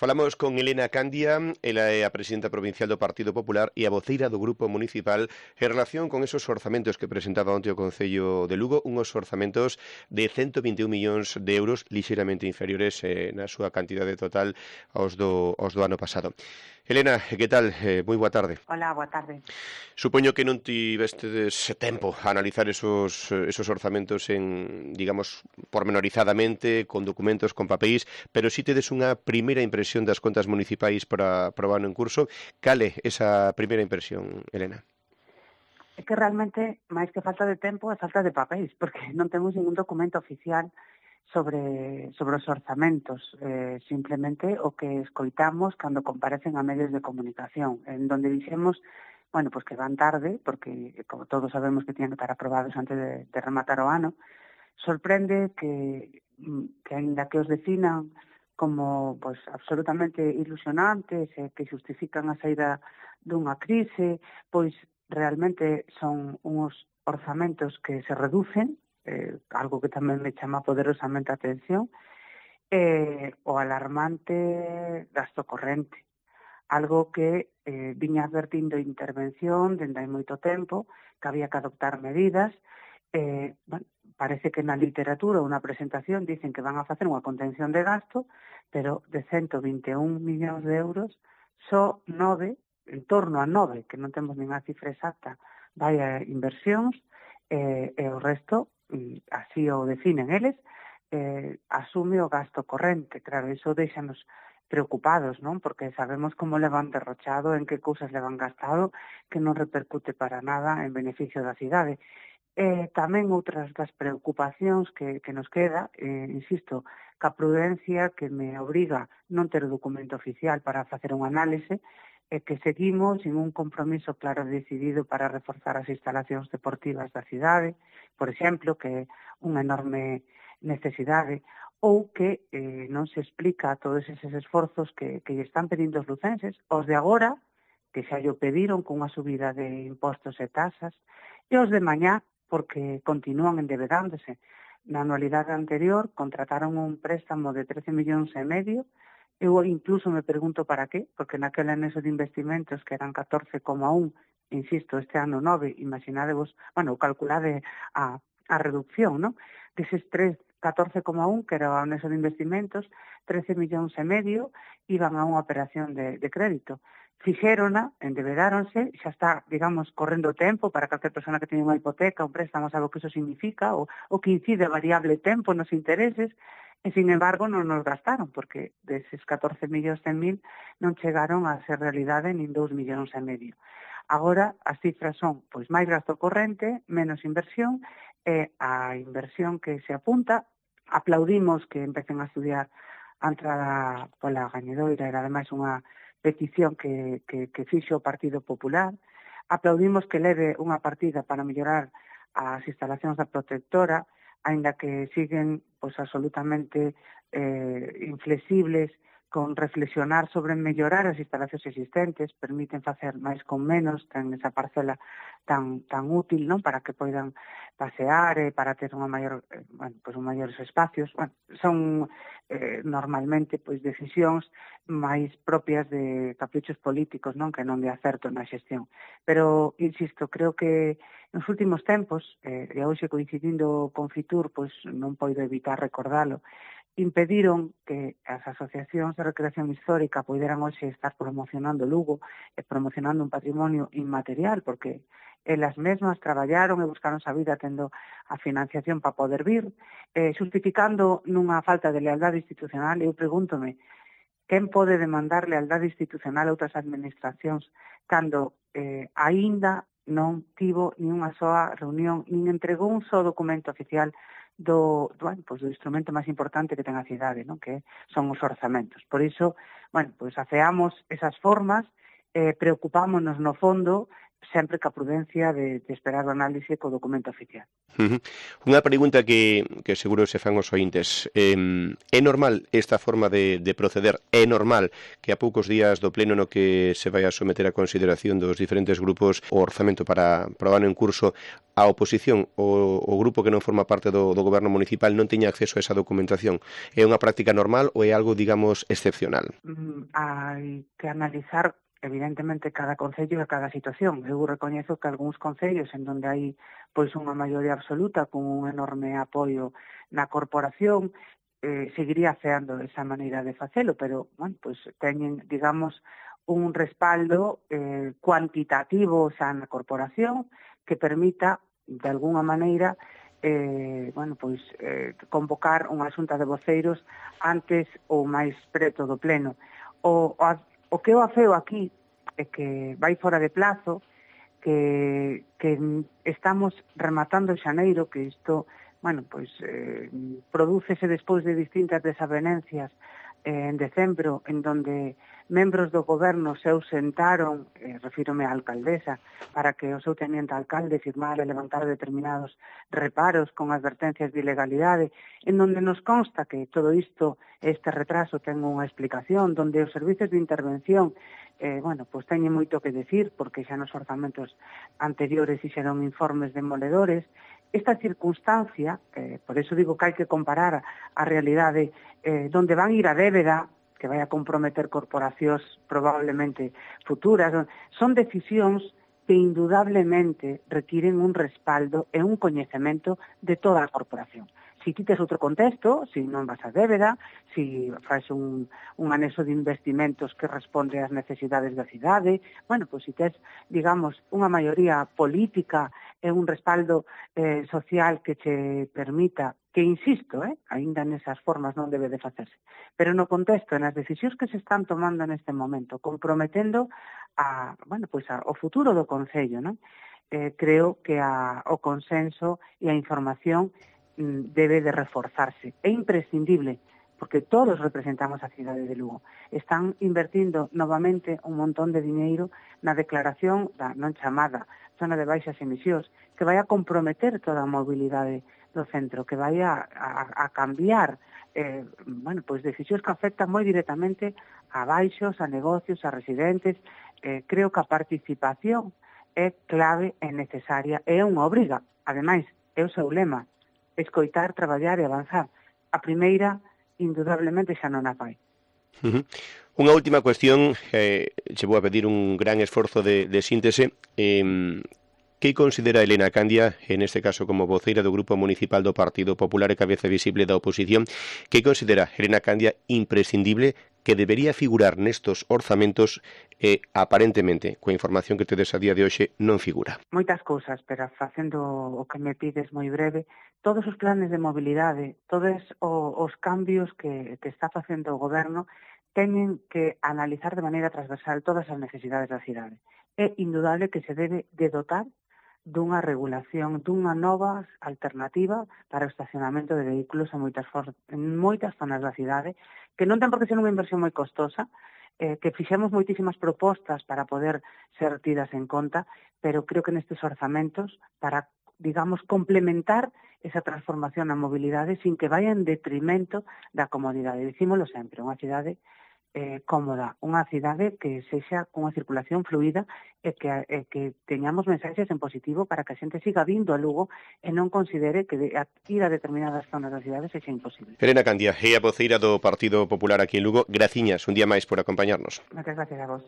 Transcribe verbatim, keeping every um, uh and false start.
Falamos con Elena Candia, ela é a presidenta provincial do Partido Popular e a voceira do Grupo Municipal en relación con esos orzamentos que presentaba onte o Concello de Lugo, unhos orzamentos de ciento vinte e un millóns de euros, lixeiramente inferiores eh, na súa cantidade total aos do, aos do ano pasado. Elena, que tal? Eh, moi boa tarde. Hola, boa tarde. Supoño que non tivestes tempo a analizar esos, esos orzamentos en, digamos, pormenorizadamente, con documentos, con papéis, pero si tedes unha primeira impresión das contas municipais para, para o ano en curso. Cale esa primeira impresión, Elena? É que realmente, máis que falta de tempo, é falta de papéis, porque non temos ningún documento oficial sobre, sobre os orzamentos, eh, simplemente o que escoitamos cando comparecen a medios de comunicación, en donde dixemos, bueno, pues que van tarde, porque como todos sabemos que tienen que estar aprobados antes de, de rematar o ano. Sorprende que, que aínda que os definan como pues, absolutamente ilusionantes e que justifican a saída dunha crise, pois realmente son uns orzamentos que se reducen, eh, algo que tamén me chama poderosamente a atención, eh, o alarmante gasto corrente, algo que eh, viña advertindo intervención dende hai moito tempo, que había que adoptar medidas. Eh, bueno, parece que na literatura ou na presentación dicen que van a facer unha contención de gasto, pero de ciento vinte e un millóns de euros, só nove, en torno a nove, que non temos nin a cifra exacta, vai a inversións, eh, e o resto, así o definen eles, eh, asume o gasto corrente. Claro, iso deixanos preocupados, non? Porque sabemos como le van derrochado, en que cousas le van gastado, que non repercute para nada en beneficio da cidade. Eh, tamén outras das preocupacións que, que nos queda, eh, insisto, ca prudencia que me obriga non ter o documento oficial para facer un análise, e que seguimos sin un compromiso claro e decidido para reforzar as instalacións deportivas da cidade, por exemplo, que é unha enorme necesidade, ou que eh, non se explica todos eses esforzos que, que lle están pedindo os lucenses, os de agora, que xa llo pediron con unha subida de impostos e tasas, e os de mañá, porque continúan endebedándose. Na anualidade anterior contrataron un préstamo de trece millóns e medio. Eu incluso me pregunto para qué, porque naquel anexo de investimentos que eran catorce coma un, insisto, este ano nove, imaginadevos, bueno, calculade a, a reducción, non? Deses tres, catorce coma un, que era o anexo de investimentos, trece millóns e medio, iban a unha operación de, de crédito. Fixérona, endebedáronse, xa está, digamos, correndo o tempo para calquer persona que teña unha hipoteca, un préstamo, sabe o que iso significa, o, o que incide a variable tempo nos intereses, e, sin embargo, non nos gastaron, porque deses catorce millóns cen mil non chegaron a ser realidade nin dous millóns e medio. Agora, as cifras son pois máis gasto corrente, menos inversión, e a inversión que se apunta, aplaudimos que empecen a estudiar a entrada pola gañedoira, era ademais unha petición que, que, que fixo o Partido Popular, aplaudimos que leve unha partida para mellorar as instalacións da protectora, aínda que siguen pois, absolutamente eh, inflexibles con reflexionar sobre mellorar as instalacións existentes, permiten facer máis con menos, ten esa parcela tan tan útil, non, para que poidan pasear e para ter unha maior, eh, bueno, pois un maiores espacios. Bueno, son eh, normalmente pois decisións máis propias de caprichos políticos, non, que non de acerto na xestión. Pero insisto, creo que nos últimos tempos, eh, e hoxe coincidindo con Fitur, pois non poido evitar recordalo, impediron que as asociacións de recreación histórica poideran hoxe estar promocionando Lugo e promocionando un patrimonio inmaterial, porque elas mesmas traballaron e buscaron a vida tendo a financiación para poder vir, eh, justificando nunha falta de lealdade institucional. Eu pregúntome, quen pode demandar lealdade institucional a outras administracións cando eh, aínda non tivo ni unha soa reunión, nin entregou un só documento oficial do, do, bueno, pues do instrumento máis importante que ten a cidade, non? Que son os orzamentos. Por iso, bueno, pues afeamos esas formas, eh, preocupámonos no fondo sempre ca prudencia de, de esperar o análise co documento oficial. Uh -huh. Unha pregunta que, que seguro se fan os ointes. Eh, é normal esta forma de, de proceder? É normal que a poucos días do pleno no que se vai a someter a consideración dos diferentes grupos o orzamento para, para o ano en curso, a oposición, o, o grupo que non forma parte do, do goberno municipal non teña acceso a esa documentación? É unha práctica normal ou é algo, digamos, excepcional? Mm, hai que analizar evidentemente cada concello e cada situación. Eu recoñezo que algúns concellos en donde hai pois unha maioría absoluta con un enorme apoio na corporación eh, seguiría feando esa maneira de facelo, pero bueno, pois teñen, digamos, un respaldo eh, cuantitativo xa na corporación que permita, de alguna maneira, eh, bueno, pois eh, convocar unha xunta de voceiros antes ou máis preto do pleno. O, o O que eu afeo aquí é que vai fora de plazo, que, que estamos rematando xaneiro, que isto, bueno, pois, eh, prodúcese despois de distintas desavenencias eh, en decembro, en donde membros do goberno se ausentaron, eh, refírome á alcaldesa, para que o seu teniente alcalde firmara e levantara determinados reparos con advertencias de ilegalidade, en donde nos consta que todo isto, este retraso, ten unha explicación, donde os servizos de intervención, eh, bueno, pois teñen moito que decir, porque xa nos orzamentos anteriores fixeron informes demoledores. Esta circunstancia, eh, por eso digo que hai que comparar a realidade eh, donde van ir a débeda, que vai a comprometer corporacións probablemente futuras, son decisións que indudablemente requiren un respaldo e un coñecemento de toda a corporación. Si ti tes outro contexto, si non vas a débeda, si faz un, un anexo de investimentos que responde ás necesidades da cidade, bueno, pois si tes, digamos, unha maioría política e un respaldo eh, social que che permita, que insisto, eh, aínda nesas formas non debe de facerse, pero no contexto, nas decisións que se están tomando neste momento, comprometendo a, bueno, pois a, o futuro do Concello, non? Eh, creo que a, o consenso e a información debe de reforzarse. É imprescindible, porque todos representamos a cidade de Lugo. Están invertindo novamente un montón de diñeiro na declaración da non chamada zona de baixas emisións, que vai a comprometer toda a mobilidade do centro, que vai a, a, a cambiar eh, bueno, pois decisións que afectan moi directamente a baixos, a negocios, a residentes. Eh, creo que a participación é clave e necesaria, é unha obriga. Ademais, é o seu lema, escoitar, traballar e avanzar. A primeira, indudablemente, xa non a fai. Uh -huh. Unha última cuestión, eh, che vou a pedir un gran esforzo de, de síntese. Eh, que considera Elena Candia, en este caso como voceira do Grupo Municipal do Partido Popular e cabeza visible da oposición, que considera Elena Candia imprescindible que debería figurar nestos orzamentos e, aparentemente, coa información que tedes a día de hoxe, non figura? Moitas cousas, pero facendo o que me pides moi breve, todos os planes de mobilidade, todos os cambios que, que está facendo o goberno, teñen que analizar de maneira transversal todas as necesidades da cidade. É indudable que se debe de dotar dunha regulación, dunha nova alternativa para o estacionamento de vehículos en moitas, en moitas zonas da cidade, que non ten por que ser unha inversión moi costosa, eh, que fixemos moitísimas propostas para poder ser tidas en conta, pero creo que nestes orzamentos, para, digamos, complementar esa transformación na mobilidade sin que vaya en detrimento da comodidade. Dicímolo sempre, unha cidade Eh, cómoda, unha cidade que sexa unha circulación fluida e que, e que teñamos mensaxes en positivo para que a xente siga vindo a Lugo e non considere que de, a, ir a determinadas zonas da cidade sexa imposible. Elena Candia, é a voceira do Partido Popular aquí en Lugo. Graciñas un día máis por acompañarnos. Moitas gracias a vos.